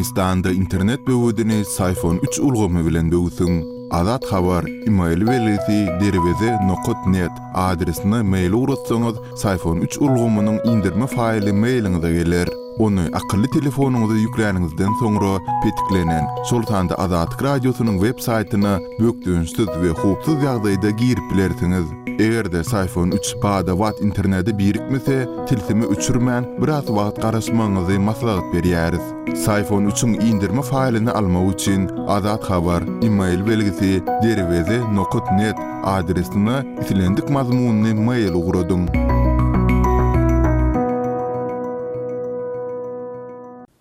Türkmenistanda internet böwedini Syfon üç ulgamy bilen böwsüň. Azat Habar, email belgisi derweze nokat net adresine mail ugratsaňyz, Syfon üç ulgamynyň indirme faýly mailiňize geler. Ony akylly telefonyňyza ýükläniňizden soňra petiklenen, şol sanda Azatlyk Radiosynyň web saýtyna bökdençsiz we howpsuz ýagdaýda girip bilersiňiz. Eger-de Syfon üç bada-bat internete birikmese, tilsimi öçürmän, biraz wagt garaşmagyňyzy maslahat berýäris. Syfon üçiň indirme faýlyny almak üçin Azat Habar, email belgisi, derweze nokat net adresine islendik mazmunly mail ugradyň.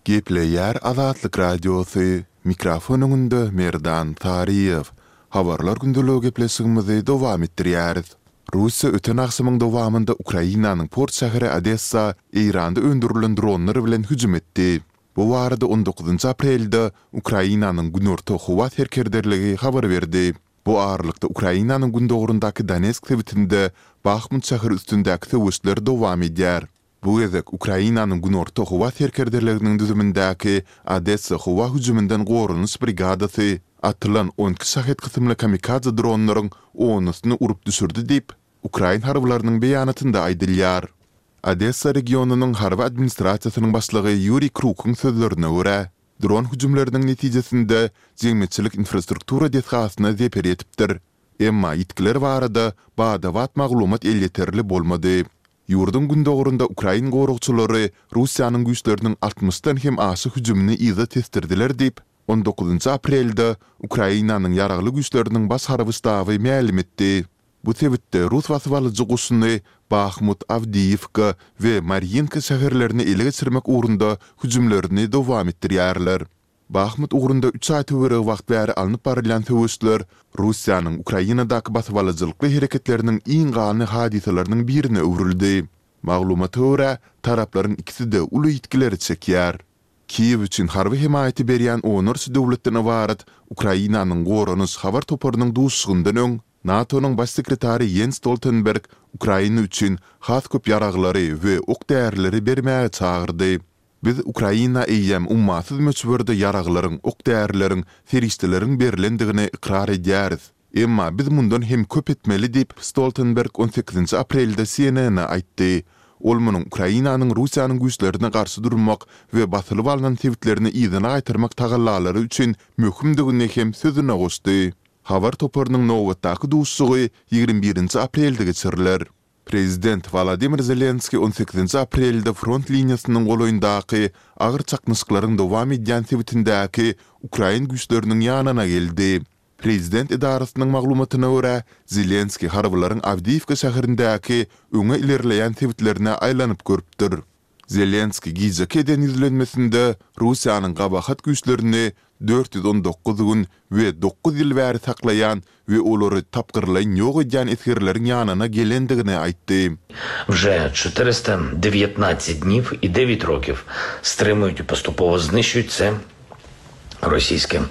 Gepleýär Azatlyk Radiosy, mikrofon öňünde Merdan Saryýew. Habarlar gündeligi gepleşigimizi dowam etdirýäris. Russiýa öten agşamyň dowamynda Ukrainanyň port şäheri Odessa Eýranda öndürilen dronlar bilen hüjüm etdi. Bu barada on dokuzynjy aprelde Ukrainanyň Günorta howa serkerdeligi habar berdi. Bu aralykda Ukrainanyň gündogaryndaky Donetsk sebitinde Bahmut şäheri üstündäki söweşler dowam edýär. Bu gezek Ukrainanyň Günorta howa serkerdeliginiň düzümindäki Odessa howa hüjüminden goranyş brigadasy atylan 12 Şahed kysymly kamikadze dronlaryň onusyny urup düşürdi diýip, ukrain harbylarynyň beýanatynda aýdylýar. Odessa regionynyň harby administrasiýasynyň başlygy Ýuriý Krukyň sözlerine görä, dron hüjümleriniň netijesinde jemgyýetçilik infrastruktura desgasyna zeper ýetipdir. Emma ýitgiler barada bada-bat maglumat elýeterli bolmady. Ýurduň gündogarynda ukrain goragçylary Russiýanyň güýçleriniň altmyşdan hem aşa hüjümini yza tesdirdiler diýip, on dokuzynjy aprelde Ukrainanyň Ýaragly Güýçleriniň Baş harby ştaby mälim etdi. Bu sebitde rus basybalyjy goşuny Bahmut, Awdiýiwka we Marýinka şäherlerini ele geçirmek ugrunda hüjümlerini dowam etdirýärler. Bahmut ugrunda üç aý töweregi wagt bäri alnyp barylýan söweşler Russiýanyň Ukrainadaky basybalyjylykly hereketleriniň iň ganly hadysalarynyň birine öwrüldi. Maglumata görä, taraplaryň ikisi-de uly ýitgileri çekýär. Kiýew üçin harby hemaýaty berýän onlarça döwletden ybarat Ukrainanyň Goranyş habar toparynyň duşuşygyndan öň, NATO-nyň Baş sekretary Ýens Stoltenberg Ukraina üçin has köp ýaraglary we ok-därileri bermäge çagyrdy. Biz Ukraina eýýäm ummasyz möçberde ýaraglaryň, ok-därileriň, serişdeleriň berlendigini ykrar edýäris. Emma biz mundan hem köp etmeli diýip, Stoltenberg on sekizinji aprelde CNN-e aýtdy. Ol munuň Ukrainanyň Russiýanyň güýçlerine garşy durmak we basylyp alnan sebitlerini yzyna gaýtarmak tagallalary üçin möhümdigini hem sözüne goşdy. Habar toparynyň nobatdaky duşuşygy 21 nji aprelde geçiriler. Prezident Wolodymyr Zelenskiý on sekizinji aprelde front liniýasynyň golaýyndaky agyr çaknyşyklaryň dowam edýän sebitindäki ukrain güýçleriniň ýanyna geldi. Prezident edarasynyň maglumatyna görä, Zelenskiý harbylaryň Awdiýiwka şäherindäki öňe ilerleýän sebitlerine aýlanyp görüpdir. Zelenskiý gijeki eden ýüzlenmesinde Russiýanyň gabahat güýçlerini 419 gün we dokuz ýyl bäri saklaýan we olary tapgyrlaýyn ýok edýän esgerleriň ýanyna gelendigini aýtdy. Wže 419 dniw i 9 rokiw strymuýut i postupowo znyşýut se rossiýske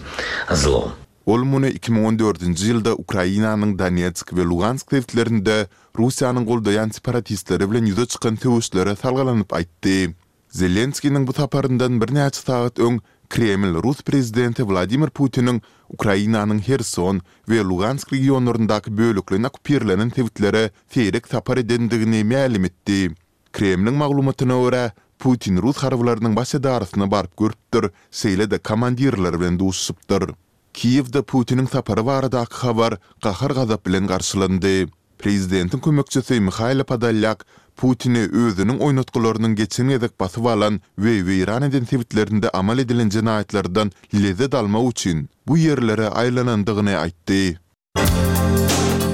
zlo. Ol muny 2014-nji ýylda Ukrainanyň Donetsk we Lugansk sebitlerinde Russiýanyň goldaýan separatistleri bilen ýüze çykan söweşlere salgylanyp aýtdy. Zelenskiniň bu saparyndan birnäçe sagat öň Kreml rus prezidenti Wladimir Putiniň Ukrainanyň Herson we Lugansk regionlaryndaky bölekleýin okkupirlenen sebitlere seýrek sapar edendigini mälim etdi. Kremliň maglumatyna görä, Putin rus harbylarynyň baş edarasyna baryp görüpdir, şeýle-de komandirler bilen duşuşypdyr. Kiýewde Putiniň sapary baradaky habar gahar-gazap bilen garşylandy. Prezidentiň kömekçisi Mihailo Podolýak Putini özüniň oýnatgylarynyň geçen gezek basyp alan we weýran eden sebitlerinde amal edilen jenaýatlardan lezzet almak üçin bu ýerlere aýlanandygyny aýtdy.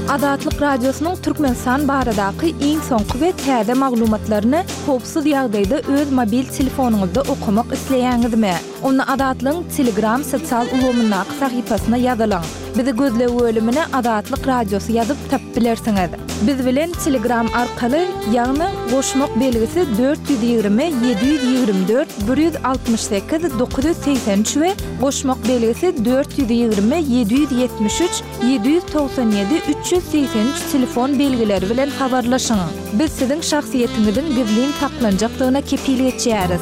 Azatlyk Radiosynyň Türkmenistan baradaky iň soňky we täze maglumatlaryny howpsuz ýagdaýda öz mobil telefonyňyzda okamak isleýäňizmi? Onda Azatlygyň Telegram sosial ulgamyndaky sahypasyna ýazylyň. Bizi gözleg bölümine Azatlyk Radiosy ýazyp tapyp bilersiňiz. Biz bilen Telegram arkaly, ýagny goşmak belgisi 420 724 168 983 we goşmak belgisi 420 773 797 383 telefon belgileri bilen habarlaşyň. Biz siziň şahsyýetiňiziň gizlin saklanjakdygyna kepil geçýäris.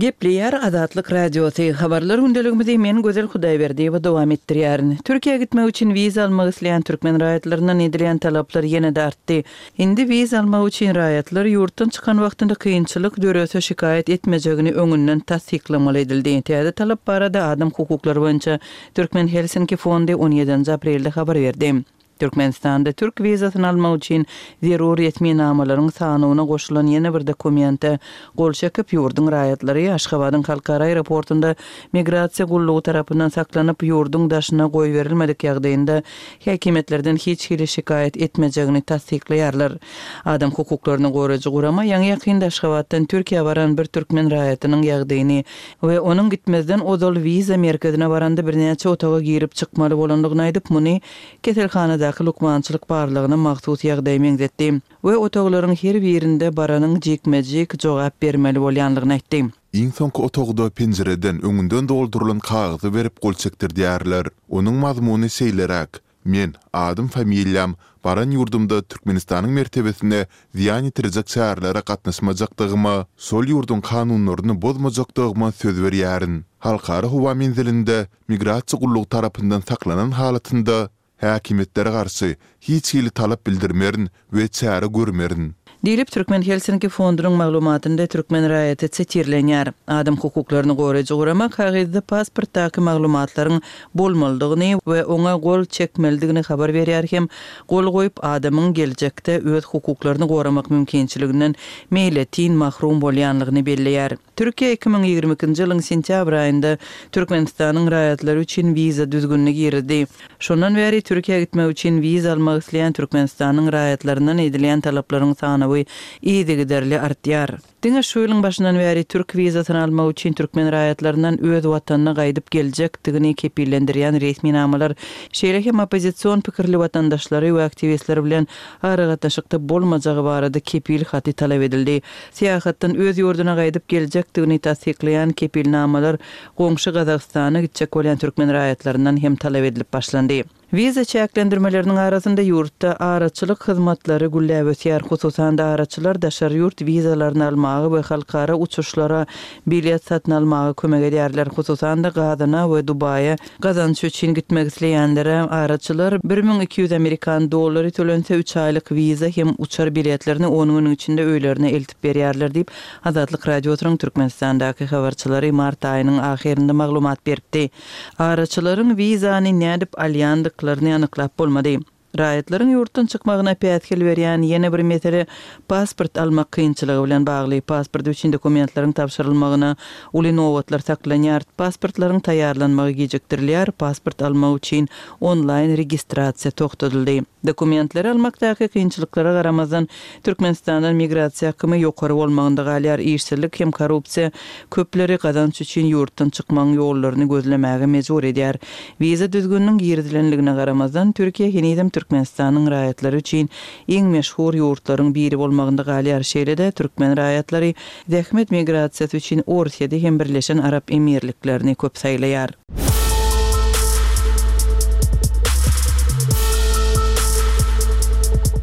Gepleýär Azatlyk Radiosy, Habarlar gündeligimizi men Gözel Hudaýberdiýewa dowam etdirýärin. Türkiýä gitmek üçin wiza almak isleýän türkmen raýatlaryndan edilýän talaplar ýene-de artdy. Indi wiza almak üçin raýatlar ýurtdan çykan wagtynda kynçylyk dörese şikaýat etmejegini öňünden tassyklamaly edildi. Täze talap barada adam hukuklary boýunça Türkmen Helsinki fondy on ýedinji aprelde habar berdi. Türkmenistanda türk wizasyny almak üçin zerur resminamalaryň sanawyna goşulan ýene bir dokumente gol çekip, ýurduň raýatlary Aşgabadyň halkara aeroportunda migrasiýa gullugy tarapyndan saklanyp, ýurduň daşyna goýberilmedik ýagdaýynda häkimiýetlerden hiç hili şikaýat etmejegini tassyklaýarlar. Adam hukuklaryny goraýjy gurama ýaňy-ýakynda Aşgabatdan Türkiýä baran bir türkmen raýatynyň ýagdaýyny we onuň gitmezden ozal wiza merkezine baranda birnäçe otaga girip çykmaly bolandygyny aýdyp, muny keselhanadaky lukmançylyk barlagyna mahsus ýagdaýa meňzetdi we otaglaryň her birinde baranyň jikme-jik jogap bermeli bolýanlygyny aýtdy. Iň soňky otagda penjireden öňünden doldurylan kagyzy berip gol çekdirdýärler. Onuň mazmuny şeýleräk, Men, adym, familiýam, baran ýurdumda Türkmenistanyň mertebesine zyýan ýetirjek çärelere gatnaşmajakdygyma, şol ýurduň kanunlaryny bozmajakdygyma söz berýärin. Halkara howa menzilinde Migrasiýa gullugy tarapyndan saklanan halatynda, häkimiýetlere garşy hiç hili talap bildirmerin we çäre görmerin. Diýlip, Türkmen Helsinki fondunyň maglumatynda türkmen raýaty sitirlenýär. Adam hukuklaryny goraýjy gurama kagyzda pasportdaky maglumatlaryň bolmalydygyny we oňa gol çekmelidigini habar berýär hem gol goýup adamyň geljekde öz hukuklaryny goramak mümkinçiliginden meýletin mahrum bolýanlygyny belleýär. Türkiýe 2022-nji ýylyň sentýabr aýynda Türkmenistanyň raýatlary üçin wiza düzgünini girizdi. Şondan bäri Türkiýä gitmek üçin wiza almak isleýän Türkmenistanyň raýatlaryndan edilýän talaplaryň sanawy yzygiderli artýar. Diňe şu ýylyň başyndan bäri türk wizasyny almak üçin türkmen raýatlaryndan öz watanyna gaýdyp geljekdigini kepillendirýän resminamalar, şeýle hem oppozision pikirli watandaşlary we aktiwistler bilen aragatnaşykda bolmajagy barada kepil haty talap edildi. Syýahatdan öz ýurduna gaýdyp geljekdigini tassyklaýan kepilnamalar goňşy Gazagystana gitjek bolýan türkmen raýatlaryndan hem talap edilip başlandy. Wiza çäklendirmeleriniň arasynda ýurtda araçylyk hyzmatlary gülläp ösýär. Hususan-da, araçylar daşary ýurt wizalaryny almaga we halkara uçuşlara bilet satyn almaga kömek edýärler. Hususan-da, Gazana we Dubaýa Gazanç üçin gitmek isleýänlere araçylar 1200 amerikan dollary tölense, üç aýlyk wiza hem uçar biletlerini on günüň içinde öýlerine eltip berýärler diýip, Azatlyk Radiosynyň Türkmenistandaky habarçylary mart aýynyň ahyrynda maglumat beripdi. Araçylaryň wizany nädip alýandyklaryny anyklap bolmady. Raýatlaryň ýurtdan çykmagyna päsgel berýän ýene bir mesele pasport almak kynçylygy bilen bagly. Pasport üçin dokumentleriň tabşyrylmagyna uly nobatlar saklanýar, pasportlaryň taýýarlanmagy gijikdirilýär, pasport almak üçin onlaýn registrasiýa togtadyldy. Dokumentleri almakdaky kynçylyklara garamazdan, Türkmenistandan migrasiýa akymy ýokary bolmagynda galýar, işsizlik hem korrupsiýa köpleri gazanç üçin ýurtdan çykmagyň ýollaryny gözlemäge mejbur edýär. Wiza düzgüniniň girizilenligine garamazdan, Türkiýe henizem Türkmenistanyň raýatlary üçin iň meşhur ýurtlaryň biri bolmagynda galýar. Şeýle-de, türkmen raýatlary zähmet migrasiýasy üçin Orsýeti hem Birleşen Arap Emirliklerini köp saýlaýar.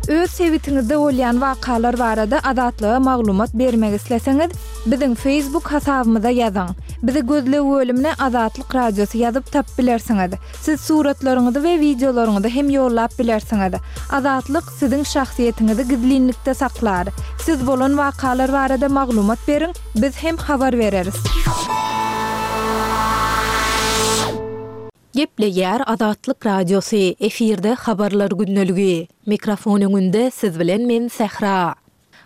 Öz sebitiňizde bolýan wakalar barada Azatlyga maglumat bermek isleseňiz, biziň Facebook hasabymyza ýazyň. Bizi gözleg bölümine Azatlyk Radiosy ýazyp tapyp bilersiňiz. Siz suratlaryňyzy we wideolaryňyzy hem ýollap bilersiňiz. Azatlyk siziň şahsyýetiňizi gizlinlikde saklar. Siz bolan wakalar barada maglumat beriň, biz hem habar bereris. Gepleýär Azatlyk Radiosy, efirde Habarlar gündeligi. Mikrofon öňünde siz bilen men Sähra.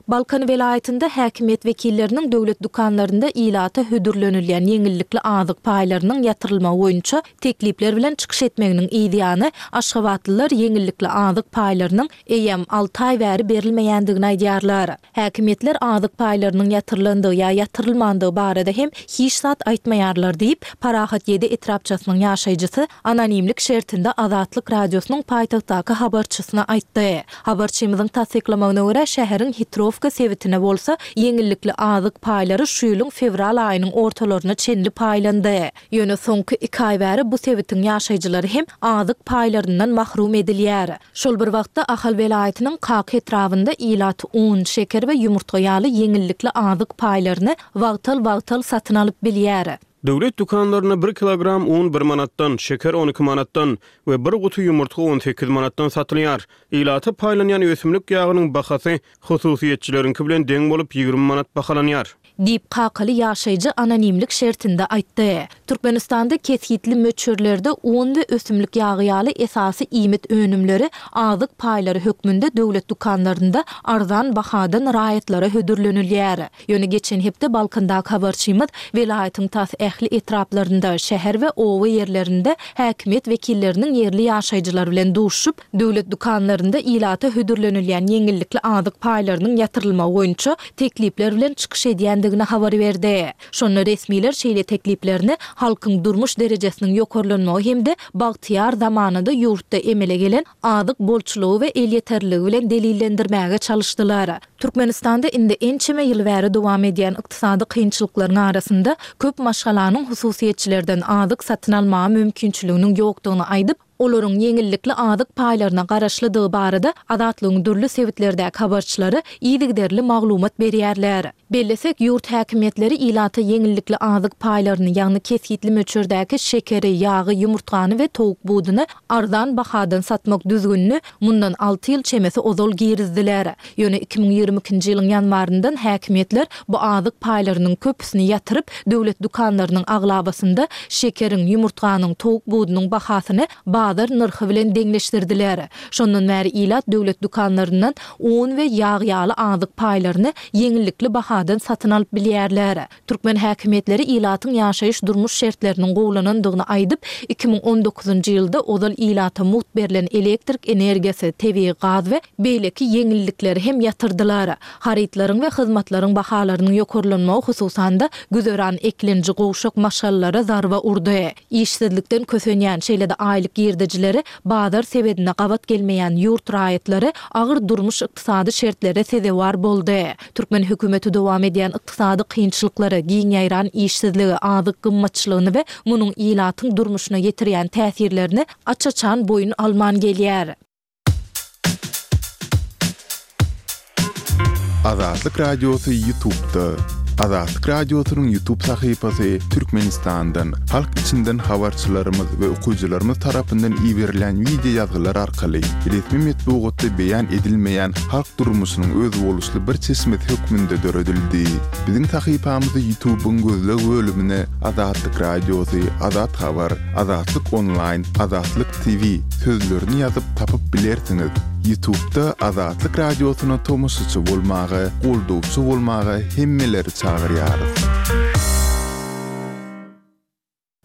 Balkan welaýatynda häkimiýet wekilleriniň döwlet dükanlarynda ilata hödürlenilýän ýeňillikli azyk paýlarynyň ýatyrylmagy boýunça teklipler bilen çykyş etmeginiň yzýany, aşgabatlylar ýeňillikli azyk paýlarynyň eýýäm alty aý bäri berilmeýändigini aýdýarlar. Häkimiýetler azyk paýlarynyň ýatyrylandygy ýa ýatyrylmandygy barada hem hiç zat aýtmaýarlar diýip, Parahat ýedi etrapçasynyň ýaşaýjysy anonimlik şertinde Azatlyk Radiosynyň paýtagtdaky habarçysyna aýtdy. Habarçymyzyň tassyklamagyna görä, şäheriň Hitrowka. Ýewgeniýewka sebitine bolsa ýeňillikli azyk paýlary şu ýylyň fewral aýynyň ortalaryna çenli paýlandy. Ýöne soňky iki aý bäri bu sebitiň ýaşaýjylary hem azyk paýlaryndan mahrum edilýär. Şol bir wagtda, Ahal welaýatynyň Kaka etrabynda ilat un, şeker we ýumurtga ýaly ýeňillikli azyk paýlaryny wagtal-wagtal satyn alyp bilýär. Döwlet dükanlarynda bir kilogram un bir manatdan, şeker 12 manatdan we bir guty ýumurtga 18 manatdan satylýar. Ilata paýlanýan ösümlik ýagynyň bahasy hususyýetçileriňki bilen deň bolup, 20 manat bahalanýar. Diýip, kakaly ýaşaýjy anonimlik şertinde aýtdy. Türkmenistanda kesgitli möçberlerde un we ösümlik ýagy ýaly esasy iýmit önümleri azyk paýlary hökmünde döwlet dükanlarynda arzan bahadan raýatlara hödürlenilýär. Ýöne geçen hepde Balkandaky habarçymyz welaýatyň tas ähli etraplarynda, şäher we oba ýerlerinde häkimiýet wekilleriniň ýerli ýaşaýjylar bilen duşuşyp, döwlet dükanlarynda ilata hödürlenilýän ýeňillikli azyk paýlarynyň ýatyrylmagy boýunça teklipler bilen çykyş edýändigini habar berdi. Şonda resmiler şeýle tekliplerini halkyň durmuş derejesiniň ýokarlanmagy hem-de bagtyýar zamanada ýurtda emele gelen azyk bolçulygy we elýeterliligi bilen delillendirmäge çalyşdylar. Türkmenistanda indi ençeme ýyl bäri dowam edýän ykdysady kynçylyklaryň arasynda köp maşgalanyň hususyýetçilerden azyk satyn almaga mümkinçiliginiň ýokdugyny aýdyp, olaryň ýeňillikli azyk paýlaryna garaşlydygy barada Azatlygyň dürli sebitlerdäki habarçylary yzygiderli maglumat berýärler. Bellesek, ýurt häkimiýetleri ilata ýeňillikli azyk paýlaryny, ýagny kesgitli möçberdäki şekeri, ýagy, ýumurtgany we towuk buduny arzan bahadan satmak düzgünini mundan alty ýyl çemesi ozal girizdiler. Ýöne 2022-nji ýylyň ýanwaryndan häkimiýetler bu azyk paýlarynyň köpüsini ýatyryp, döwlet dükanlarynyň aglabasynda şekeriň, ýumurtganyň, towuk budunyň bahasyny bazar nyrhy bilen deňleşdirdiler. Şondan bäri ilat döwlet dükanlaryndan un we ýag ýaly azyk paýlaryny ýeňillikli bahadan satyn alyp bilýärler. Türkmen häkimiýetleri ilatyň ýaşaýyş-durmuş şertleriniň gowulanandygyny aýdyp, 2019-njy ýylda ozal ilata mugt berlen elektrik energiýasy, tebigy gaz we beýleki ýeňillikleri hem ýatyrdylar. Harytlaryň we hyzmatlaryň bahalarynyň ýokarlanmagy hususan-da, güzeran eklenji gowşak maşgalalara zarba urdy. Işsizlikden kösenýän, şeýle-de aýlyk girdejileri bazar sebedine gabat gelmeýän ýurt raýatlary agyr durmuş-ykdysady şertlere sezewar boldy. Türkmen hökümeti dowam edýän ykdysady kynçylyklary, giň ýaýran işsizligi, azyk gymmatçylygyny we munuň ilatyň durmuşyna ýetirýän täsirlerini aç-açan boýun alman gelýär. Azatlyk Radiosy Ýutubda. Azatlyk Radiosynyň Ýutub sahypasy Türkmenistandan, halk içinden habarçylarymyz we okyjylarymyz tarapyndan iberilýän wideo ýazgylar arkaly resmi metbugatda beýan edilmeýän halk durmuşynyň özboluşly bir çeşmesi hökmünde döredildi. Biziň sahypamyzy Ýutubyň gözleg bölümine Azatlyk Radiosy, Azat Habar, Azatlyk Onlaýn, Azatlyk TV sözlerini ýazyp tapyp bilersiňiz. Ýutubda Azatlyk Radiosyna tomaşaçy bolmaga, goldawçy bolmaga hemmeleri çagyrýarys.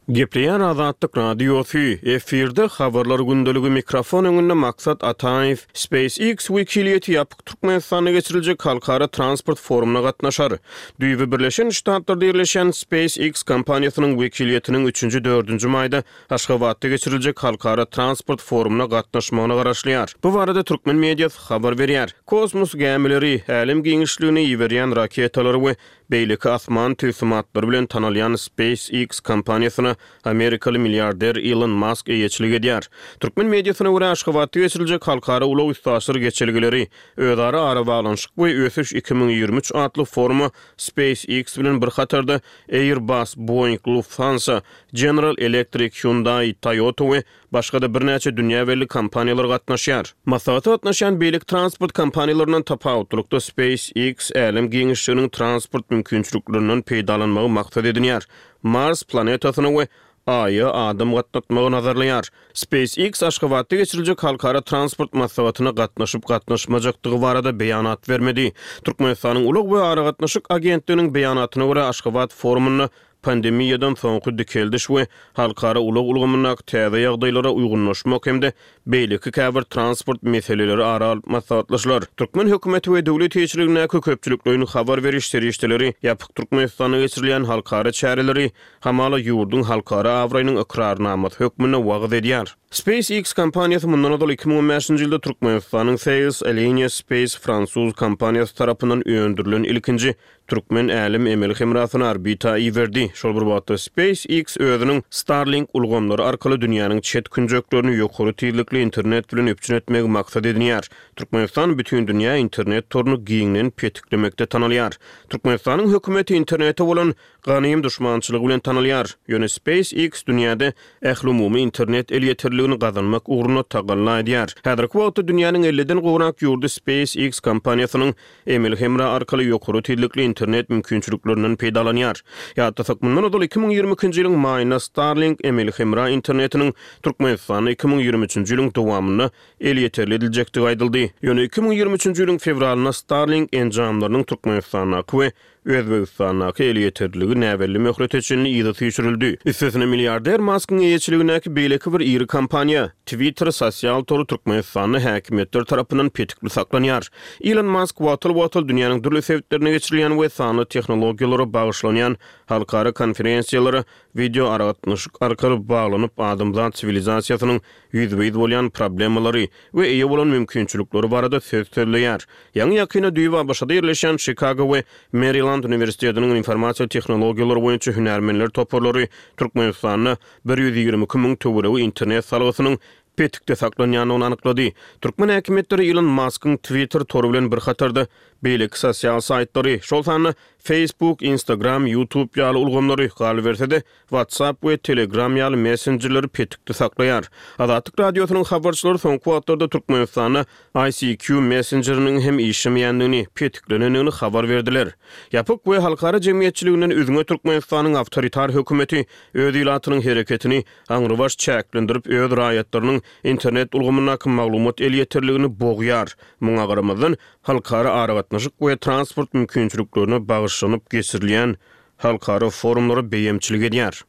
Gepleýär Azatlyk Radiosy, efirde Habarlar gündeligi mikrofon öňünde Maksat Ataýew. SpaceX wekiliýeti ýapyk Türkmenistanda geçiriljek halkara transport forumyna gatnaşar. Düýbi Birleşen Ştatlarda ýerleşýän SpaceX kompaniýasynyň wekiliýetiniň üçünji-dördünji maýda Aşgabatda geçiriljek halkara transport forumyna gatnaşmagyna garaşylýar. Bu barada türkmen mediasy habar berýär. Kosmos gämileri, älem giňişligine iberýän raketalary we beýleki asman tilsimatlary bilen tanalýan SpaceX kompaniýasyna amerikaly milliarder Ilon Mask eýeçilik edýär. Türkmen mediasyna görä, Aşgabatda geçiriljek halkara ulag-üstaşyr geçelgeleri, özara arabaglanyşyk we ösüş 2023 atly foruma SpaceX bilen bir hatarda Airbus, Boeing, Lufthansa, General Electric, Hyundai, Toyota we başga-da birnäçe dünýä belli kompaniýalar gatnaşýar. Maslahata gatnaşýan beýleki transport kompaniýalaryndan tapawutlylykda SpaceX älem giňişliginiň transport mümkinçiliklerinden peýdalanmagy maksat edinýär. Mars planetasyna we Aýa adam gatnatmagy nazarlaýar. SpaceX Aşgabatda geçiriljek halkara transport maslahatyna gatnaşyp-gatnaşmajakdygy barada beýanat bermedi. Türkmenistanyň Ulag we aragatnaşyk agentliginiň beýanatyna görä, Aşgabat forumynda pandemiýadan soňky dikeldiş we halkara ulag ulgamyndaky täze ýagdaýlara uýgunlaşmak hem-de beýleki käbir transport meseleleri ara alyp maslahatlaşylar. Türkmen hökümeti we döwlet eýeçiligindäki köpçülikleýin habar beriş serişdeleri ýapyk Türkmenistanda geçirilýän halkara çäreleri hamala ýurduň halkara abraýynyň ykrarnamasy hökmünde wagyz edýär. SpaceX kompaniýasy mundan ozal 2015-nji ýylda Türkmenistanyň Thales Alenia Space fransuz kompaniýasy tarapyndan öndürilen ilkinji Türkmen älem emeli hemrasyny orbita iberdi. Şol bir wagtda SpaceX özüniň Starlink ulgamlary arkaly dünýäniň çet künjeklerini ýokary tizlikli internet bilen üpjün etmegi maksat edinýär. Türkmenistan bütindünýä internet toruny giňden petiklemekde tanalýar. Türkmenistanyň hökümeti internete bolan ganym duşmançylygy bilen tanalýar. Ýöne SpaceX dünýäde ählumumy internet elýeterliligini gazanmak ugrunda tagalla edýär. Häzirki wagtda dünýäniň elliden gowrak ýurdy SpaceX kompaniýasynyň Emeli hemra arkaly ýokary tizlikli internet mümkinçiliklerinden peýdalanýar. Ýatlasak, mundan ozal 2022-nji ýylyň maýynda Starlink emeli hemra internetiniň Türkmenistanda 2023-nji ýylyň dowamynda elýeterli ediljekdigi aýdyldy. Ýöne 2023-nji ýylyň fewralynda Starlink enjamlarynyň Türkmenistandaky we Özbegistandaky elýeterliligi näbelli möhlete çenli yza süýşürildi. Üstesine milliarder Maskyň eýeçiligindäki beýleki bir iri kompaniýa, Twitter sosial tory Türkmenistanda häkimiýetler tarapyndan petikli saklanýar. Ilon Mask wagtal-wagtal dünýäniň dürli sebitlerinde geçirilýän we sanly tehnologiýalara bagyşlanýan halkara konferensiýalara wideoaragatnaşyk arkaly baglanyp, adamzat siwilizasiýasynyň ýüzbe-ýüz bolýan problemalary we eýe bolan mümkinçilikleri barada söz sözleýär. Ýaňy-ýakynda düýbi ABŞ-da ýerleşýän Çikago we Meriland uniwersitetiniň informasiýa tehnologiýalary boýunça hünärmenler toparlary Türkmenistanda 122 müň töweregi internet salgysynyň petikde saklanýandygyny anyklady. Türkmen häkimiýetleri Ilon Maskyň Twitter tory bilen bir hatarda beýleki sosial saýtlary, şol sanda Facebook, Instagram, YouTube ýaly ulgamlary, galyberse-de, WhatsApp we Telegram ýaly messenjerleri petikde saklaýar. Azatlyk Radiosynyň habarçylary soňky wagtlarda Türkmenistanda ICQ messenjeriniň hem işlemeýändigini, petiklenendigini habar berdiler. Ýapyk we halkara jemgyýetçiliginden üzňe Türkmenistanyň awtoritar hökümeti öz ilatynyň hereketini aňrybaş çäklendirip, öz raýatlarynyň internet ulgamyndaky maglumat elýeterligini bogýar. Muňa garamazdan, halkara aragatnaşyk we transport mümkinçiliklerine bagyşlanyp geçirilýän halkara forumlara beýemçilik edýär.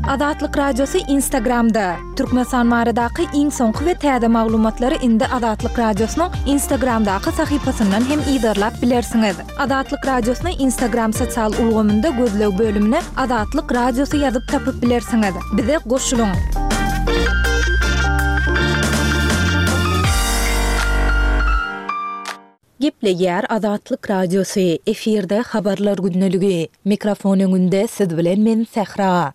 Azatlyk Radiosy Instagramda, Türkmenistan baradaky iň soňky we täze maglumatlary indi Azatlyk Radiosynyň Instagramdaky sahypasyndan hem yzarlap bilersiňiz. Azatlyk Radiosyny Instagram sosial ulgamynda gözleg bölümine Azatlyk Radiosy ýazyp tapyp bilersiňiz. Bize goşulyň! Gepleýär Azatlyk Radiosy, efirde Habarlar gündeligi. Mikrofon öňünde siz bilen men Sähra.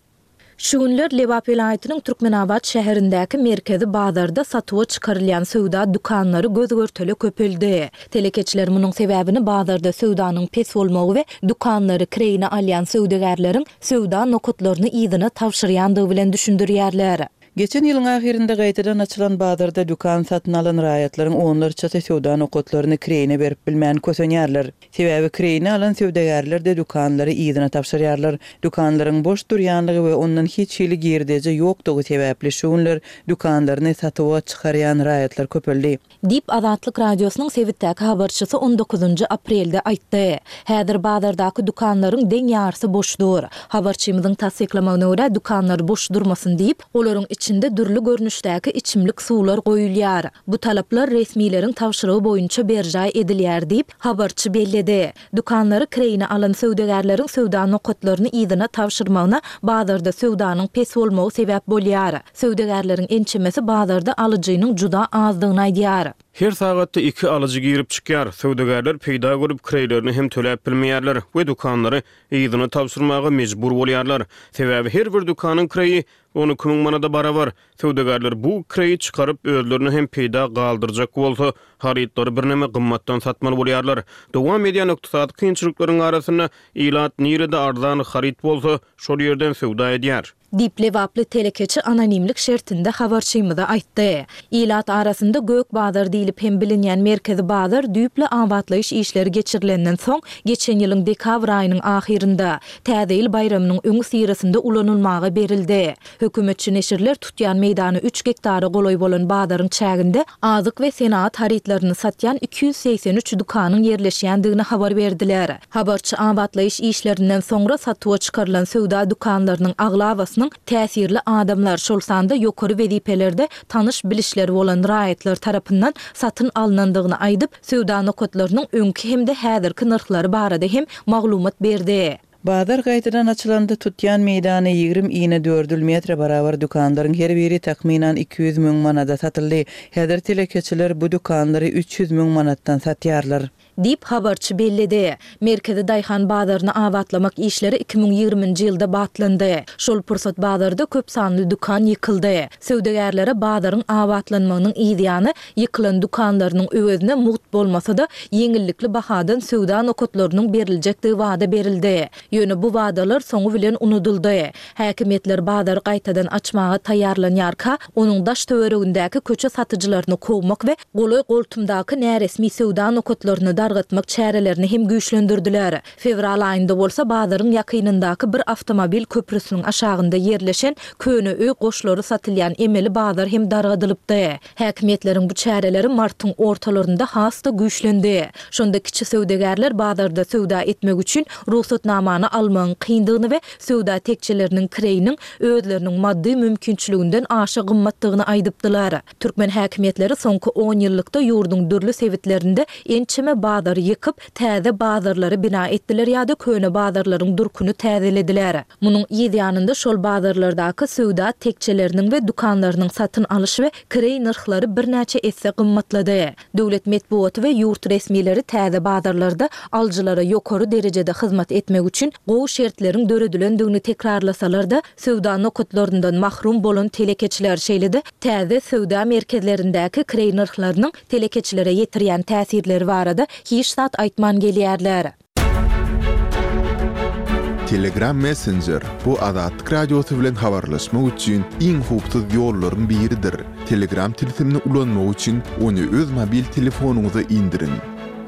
Şu günler Lebap welaýatynyň Türkmenabat şäherindäki merkezi bazarda satuwa çykarylýan söwda dükanlary göz-görtele köpeldi. Telekeçiler munuň sebäbini bazarda söwdanyň pes bolmagy we dükanlary kireýine alýan söwdagärleriň söwda nokatlaryny yzyna tabşyrýandygy bilen düşündirýärler. Geçen ýylyň ahyrynda gaýtadan açylan bazarda dükan satyn alan raýatlaryň onlarçasy söwda nokatlaryny kireýine berip bilmän kösenýärler. Sebäbi kireýine alan söwdagärler-de dükanlary yzyna tabşyrýarlar. Dükanlaryň boş durýanlygy we ondan hiç hili girdeji ýokdugy sebäpli şu günler dükanlaryny satuwa çykarýan raýatlar köpeldi. Diýip, Azatlyk Radiosynyň sebitdäki habarçysy on dokuzynjy aprelde aýtdy. Häzir bazardaky dükanlaryň deň ýarysy boş dur. Habarçymyzyň tassyklamagyna görä, dükanlar boş durmasyn diýip, olaryň içinde dürli görnüşdäki içimlik suwlar goýulýar. Bu talaplar resmileriň tabşyrygy boýunça berjaý edilýär diýip, habarçy belledi. Dükanlary kireýine alan söwdagärleriň söwda nokatlaryny yzyna tabşyrmagyna bazarda söwdanyň pes bolmagy sebäp bolýar. Söwdagärleriň ençemesi bazarda alyjynyň juda azdygyny aýdýar. Her sagatda iki alyjy girip çykýar. Söwdagärler peýda görüp kireýlerini hem töläp bilmeýärler we dükanlary yzyna tabşyrmaga mejbur bolýarlar. Sebäbi her bir dükanyň kireýi 12 müň manada barabar. Söwdagärler bu kireýi çykaryp, özlerine hem peýda galdyrjak bolsa, harytlary birneme gymmatdan satmaly bolýarlar. Dowam edýän ykdysady kynçylyklaryň arasynda ilat nirede arzan haryt bolsa, şol ýerden söwda edýär. Diýip, lebaply telekeçi anonimlik şertinde habarçymyza aýtdy. Ilat arasynda Gök bazar diýlip hem bilinýän merkezi bazar düýpli abatlaýyş işleri geçirilenden soň, geçen ýylyň dekabr aýynyň ahyrynda, Täze ýyl baýramynyň öňüsyrasynda ulanylmaga berildi. Hökümetçi neşirler tutýan meýdany üç gektara golaý bolan bazaryň çäginde azyk we senagat harytlaryny satýan 283 dükanyň ýerleşýändigini habar berdiler. Habarçy abatlaýyş işlerinden soňra satuwa çykarylan söwda dükanlarynyň aglabasynyň. söwdasynyň täsirli adamlar, şol sanda ýokary wezipelerde tanyş-bilişleri bolan raýatlar tarapyndan satyn alnandygyny aýdyp, söwda nokatlarynyň öňki hem-de häzirki nyrhlary barada hem maglumat berdi. Bazar gaýtadan açylanda tutýan meýdany 20 inedördül metre barabar dükanlaryň her biri takmynan 200 müň manada satyldy. Häzir telekeçiler bu dükanlary 300 müň manatdan satýarlar. Diýip, habarçy belledi. Merkezi daýhan bazaryny abatlamak işleri 2020-nji ýylda batlandy. Şol pursat bazarda köp sanly dükan ýykyldy. Söwdagärlere bazaryň abatlanmagynyň yzýany, ýykylan dükanlarynyň öwezine mugt bolmasa-da, ýeňillikli bahadan söwda nokatlarynyň beriljekdigi wada berildi. Ýöne bu wadalar soňy bilen unudyldy. Häkimiýetler bazary gaýtadan açmaga taýýarlanýarka, onuň daş-töweregindäki köçe satyjylaryny kowmak we golaý-goltumdaky näresmi söwda nokatlaryny dargatmak çärelerini hem güýçlendirdiler. Fewral aýynda bolsa bazaryň ýakynyndaky bir awtomobil köprüsiniň aşagynda ýerleşen köne öý goşlary satylýan emeli bazar hem dargadylypdy. Häkimiýetleriň bu çäreleri martyň ortalarynda has-da güýçlendi. Şonda kiçi söwdagärler bazarda söwda etmek üçin rugsatnamany almagyň kyndygyny we söwda tekjeleriniň kireýiniň özleriniň maddy mümkinçiliginden aşa gymmatdygyny aýdypdylar. Türkmen häkimiýetleri soňky onýyllykda ýurduň dürli sebitlerinde ençeme bazary ýykyp, täze bazarlary bina etdiler ýa-da köne bazarlaryň durkuny täzelediler. Munuň yz ýanynda şol bazarlardaky söwda tekjeleriniň we dükanlarynyň satyn alyş we kireý nyrhlary birnäçe esse gymmatlady. Döwlet metbugaty we ýurt resmileri täze bazarlarda alyjylara ýokary derejede hyzmat etmek üçin gowy şertleriň döredilendigini tekrarlasalar-da, söwda nokatlaryndan mahrum bolan telekeçiler, şeýle-de täze söwda merkezlerindäki kireý nyrhlarynyň telekeçilere ýetirýän täsirleri barada hiç zat aýtman gelýärler. Telegram Messenger, bu Azatlyk Radiosy bilen habarlaşmak üçin iň howpsuz ýollaryň biridir. Telegram tilsimini ulanmak üçin ony öz mobil telefonyňyza indiriň.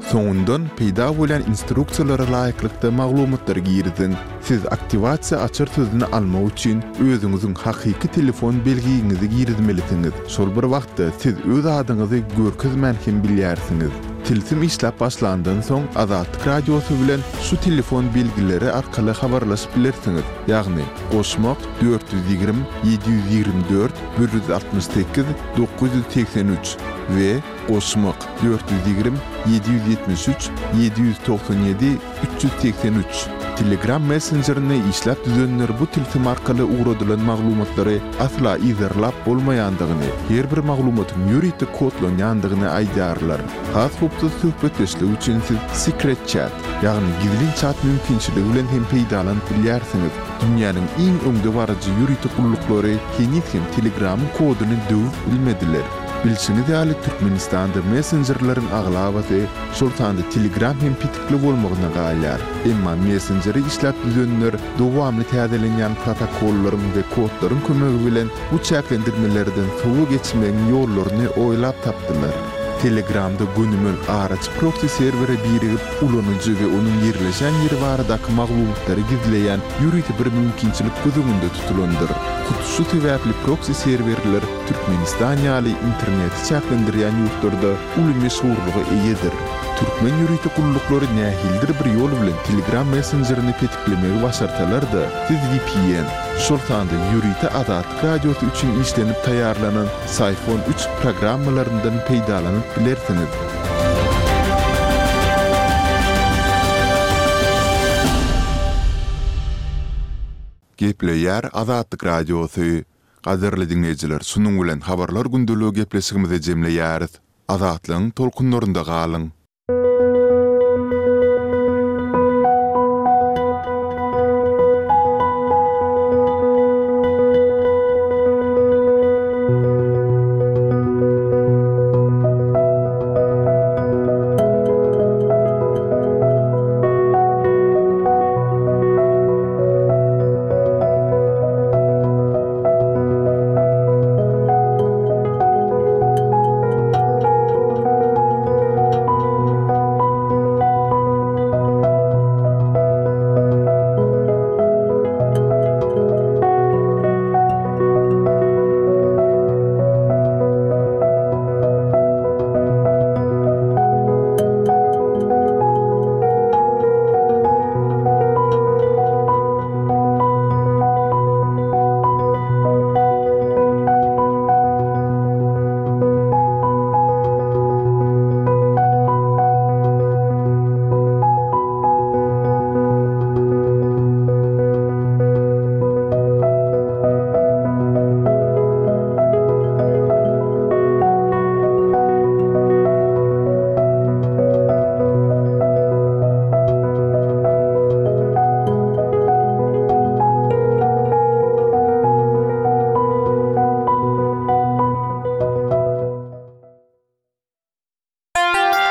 Soňundan peýda bolýan instruksiýalara laýyklykda maglumatlary giriziň. Siz aktiwasiýa açar sözüni almak üçin özüňiziň hakyky telefon belgiňizi girizmelisiňiz. Şol bir wagtda siz öz adyňyzy görkezmän hem bilýärsiňiz. Tilsim işläp başlandan soň Azatlyk Radiosy bilen şu telefon belgileri arkaly habarlaşyp bilersiňiz, ýagny, goşmak, 420 724 168 983 we goşmak, 420 773 797 383. Telegram messenjerini işläp düzenler bu tilsim arkaly ugradylan maglumatlary asla yzarlap bolmaýandygyny, her bir maglumatyň ýörite kodlanýandygyny aýdýarlar. Has howpsuz söhbetdeşlik üçin siz Secret Chat, ýagny gizlin çat mümkinçiligi bilen hem peýdalanyp bilýärsiňiz. Dünýäniň iň öňdebaryjy ýörite gulluklary heniz hem Telegramyň koduny döwüp bilmediler. Bilşiňiz ýaly, Türkmenistanda messenjerleriň aglabasy, şol sanda Telegram hem petikli bolmagyna galýar. Emma messenjeri işläp düzenler dowamly täzelenýän protokollaryň we kodlaryň kömegi bilen bu çäklendirmelerden sowa geçmegiň ýollaryny oýlap tapdylar. Telegramda gönümel araçy proksi serwere birigip, ulanyjy we onuň ýerleşen ýeri baradaky maglumatlary gizleýän ýörite bir mümkinçilik göz öňünde tutulandyr. Hut şu sebäpli proksi serwerler Türkmenistan ýaly interneti çäklendirýän ýurtlarda uly meşhurlyga eýedir. Türkmen ýörite gulluklary nähilidir bir ýol bilen Telegram messenjerini petiklemegi başarsalar-da, siz vpn, şol sanda ýörite Azatlyk Radiosy üçin işlenip taýýarlanan Syphon üç programmalaryndan peýdalanyp bilersiňiz. Gepleýär Azatlyk Radiosy. Gadyrly diňleýjiler şunuň bilen Habarlar gündeligi gepleşigimizi jemleýäris. Azatlygyň tolkunlarynda galyň!